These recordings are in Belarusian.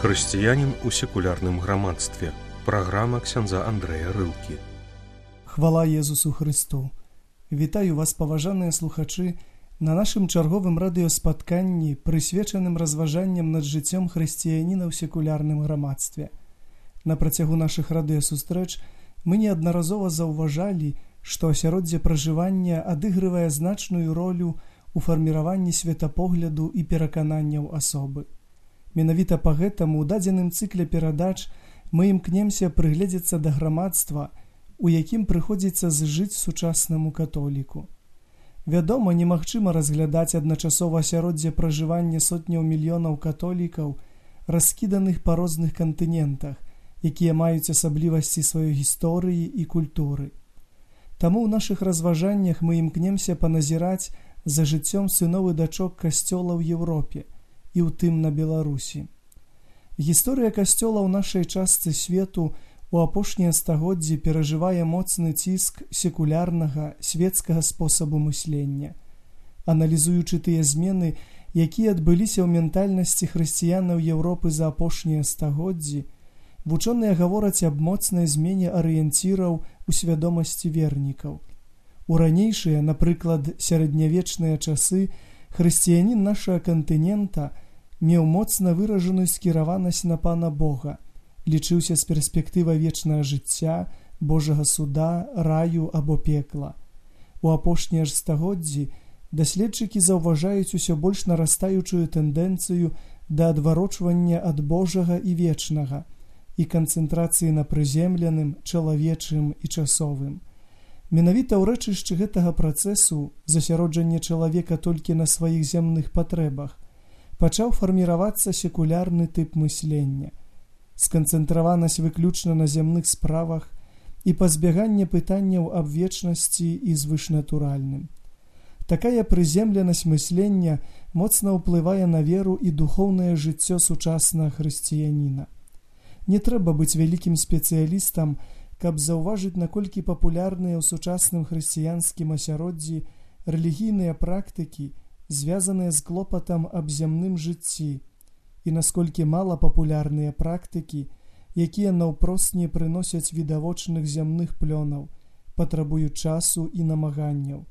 Хрысціянін у секулярным грамадстве. Праграма ксяндза Андрэя Рылкі. Хвала Езусу Христу! Вітаю вас, паважаныя слухачы, на нашым чарговым радыёспатканні, прысвечаным разважанням над жыццём хрысціяніна ў секулярным грамадстве. На працягу нашых радыёсустрэч мы неаднаразова заўважалі, што асяроддзе пражывання адыгрывае значную ролю ў фарміраванні светапогляду і перакананняў асобы. Менавіта па гэтаму ў дадзеным цыкле перадач мы імкнемся прыгледзецца да грамадства, у якім прыходзіцца зжыць сучаснаму католіку. Вядома, немагчыма разглядаць адначасова асяроддзе пражывання сотняў мільёнаў католікаў, раскіданых па розных кантынентах, якія маюць асаблівасці сваёй гісторыі і культуры. Таму ў нашых разважаннях мы імкнемся паназіраць за жыццём сыноў і дачок касцёла ў Еўропе, і ў тым на Беларусі. Гісторыя касцёла ў нашай частцы свету у апошнія стагоддзі перажывае моцны ціск секулярнага, свецкага спосабу мыслення. Аналізуючы тыя змены, якія адбыліся ў ментальнасці хрысціянаў Еўропы за апошнія стагоддзі, вучоныя гавораць аб моцнай змене арыенціраў у свядомасці вернікаў. У ранейшыя, напрыклад, сярэднявечныя часы, хрысціянін нашага кантынента меў моцна выражаную скіраванасць на Пана Бога, лічыўся з перспектывай вечнага жыцця, Божага суда, раю або пекла. У апошнія ж стагоддзі даследчыкі заўважаюць усё больш нарастаючую тэндэнцыю да адварочвання ад Божага і вечнага і канцэнтрацыі на прыземленым, чалавечым і часовым. Менавіта ў рэчышчы гэтага працэсу засяроджання чалавека толькі на сваіх зямных патрэбах пачаў фарміравацца секулярны тып мыслення, сканцэнтраванасць выключна на зямных справах і пазбяганне пытанняў аб вечнасці і звышнатуральным. Такая прыземленасць мыслення моцна ўплывае на веру і духоўнае жыццё сучаснага хрысціяніна. Не трэба быць вялікім спецыялістам, каб заўважыць, наколькі папулярныя ў сучасным хрысціянскім асяроддзі рэлігійныя практыкі, звязаныя з клопатам аб зямным жыцці, і насколькі мала папулярныя практыкі, якія наўпрост не прыносяць відавочных зямных плёнаў, патрабуюць часу і намаганняў.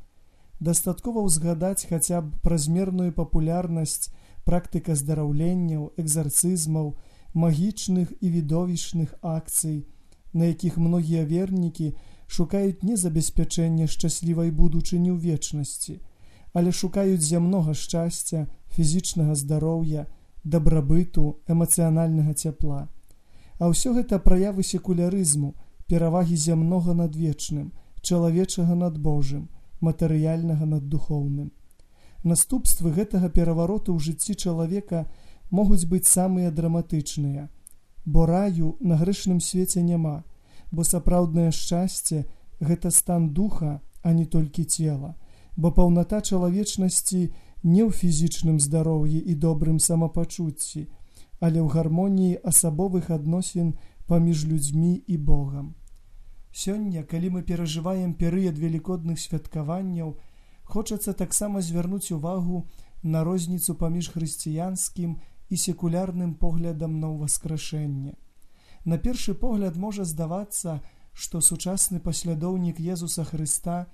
Дастаткова ўзгадаць хаця б празмерную папулярнасць практыка здараўленняў, экзарцызмаў, магічных і відовішчных акцый, на якіх многія вернікі шукаюць не забеспячэння шчаслівай будучыні ў вечнасці, але шукаюць зямнога шчасця, фізічнага здароўя, дабрабыту, эмацыянальнага цяпла. А ўсё гэта праявы секулярызму, перавагі зямнога над вечным, чалавечага над Божым, матэрыяльнага над духоўным. Наступствы гэтага перавароту ў жыцці чалавека могуць быць самыя драматычныя, бо раю на грэшным свеце няма, бо сапраўднае шчасце – гэта стан духа, а не толькі цела, бо паўната чалавечнасці не ў фізічным здароўі і добрым самапачуцці, але ў гармоніі асабовых адносін паміж людзьмі і Богам. Сёння, калі мы перажываем перыяд велікодных святкаванняў, хочацца таксама звярнуць увагу на розніцу паміж хрысціянскім і секулярным поглядам на ўваскрашэнне. На першы погляд можа здавацца, што сучасны паслядоўнік Езуса Хрыста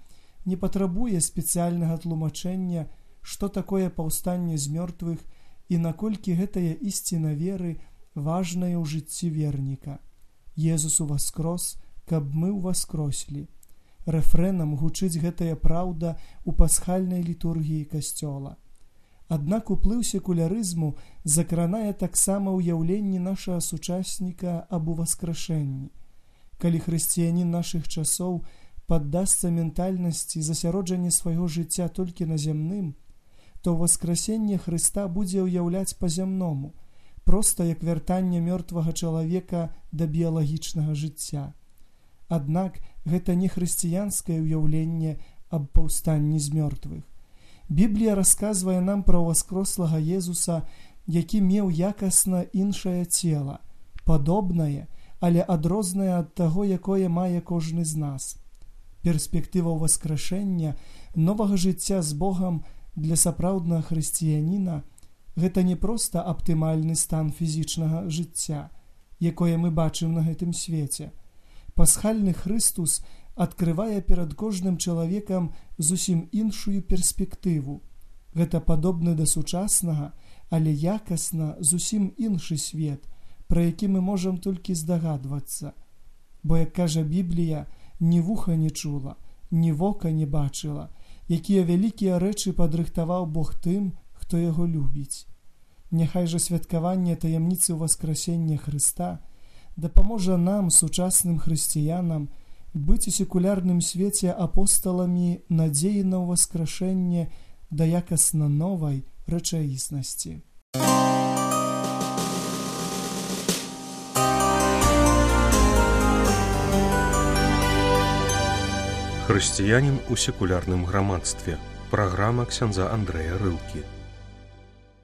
не патрабуе спецыяльнага тлумачэння, што такое паўстанне з мёртвых і наколькі гэтая ісціна веры важная ў жыцці верніка. Езус уваскрос, каб мы ўваскрослі. Рэфрэнам гучыць гэтая праўда ў пасхальнай літургіі касцёла. Аднак уплыў секулярызму закранае таксама ўяўленні нашага сучасніка аб уваскрашэнні. Калі хрысціянін нашых часоў паддасца ментальнасці засяроджання свайго жыцця толькі на зямным, то ўваскрасенне Хрыста будзе ўяўляць па-зямному, проста як вяртанне мёртвага чалавека да біялагічнага жыцця. Аднак гэта не хрысціянскае ўяўленне аб паўстанні з мёртвых. Біблія расказвае нам пра ўваскрослага Езуса, які меў якасна іншае цела, падобнае, але адрознае ад таго, якое мае кожны з нас. Перспектыва ўваскрашэння, новага жыцця з Богам для сапраўднага хрысціяніна Гэта не проста аптымальны стан фізічнага жыцця, якое мы бачым на гэтым свеце. Пасхальны Хрыстус адкрывае перад кожным чалавекам зусім іншую перспектыву. Гэта падобны да сучаснага, але якасна зусім іншы свет, пра які мы можам толькі здагадвацца. Бо, як кажа Біблія, ні вуха не чула, ні вока не бачыла, якія вялікія рэчы падрыхтаваў Бог тым, хто яго любіць. Няхай жа святкаванне таямніцы ўваскрасення Хрыста дапаможа нам, сучасным хрысціянам, быць у секулярным свеце апосталамі надзеі на ўваскрашэнне да якасна новай рэчаіснасці. Хрысціянін у секулярным грамадстве. Праграма ксяндза Андрэя Рылкі.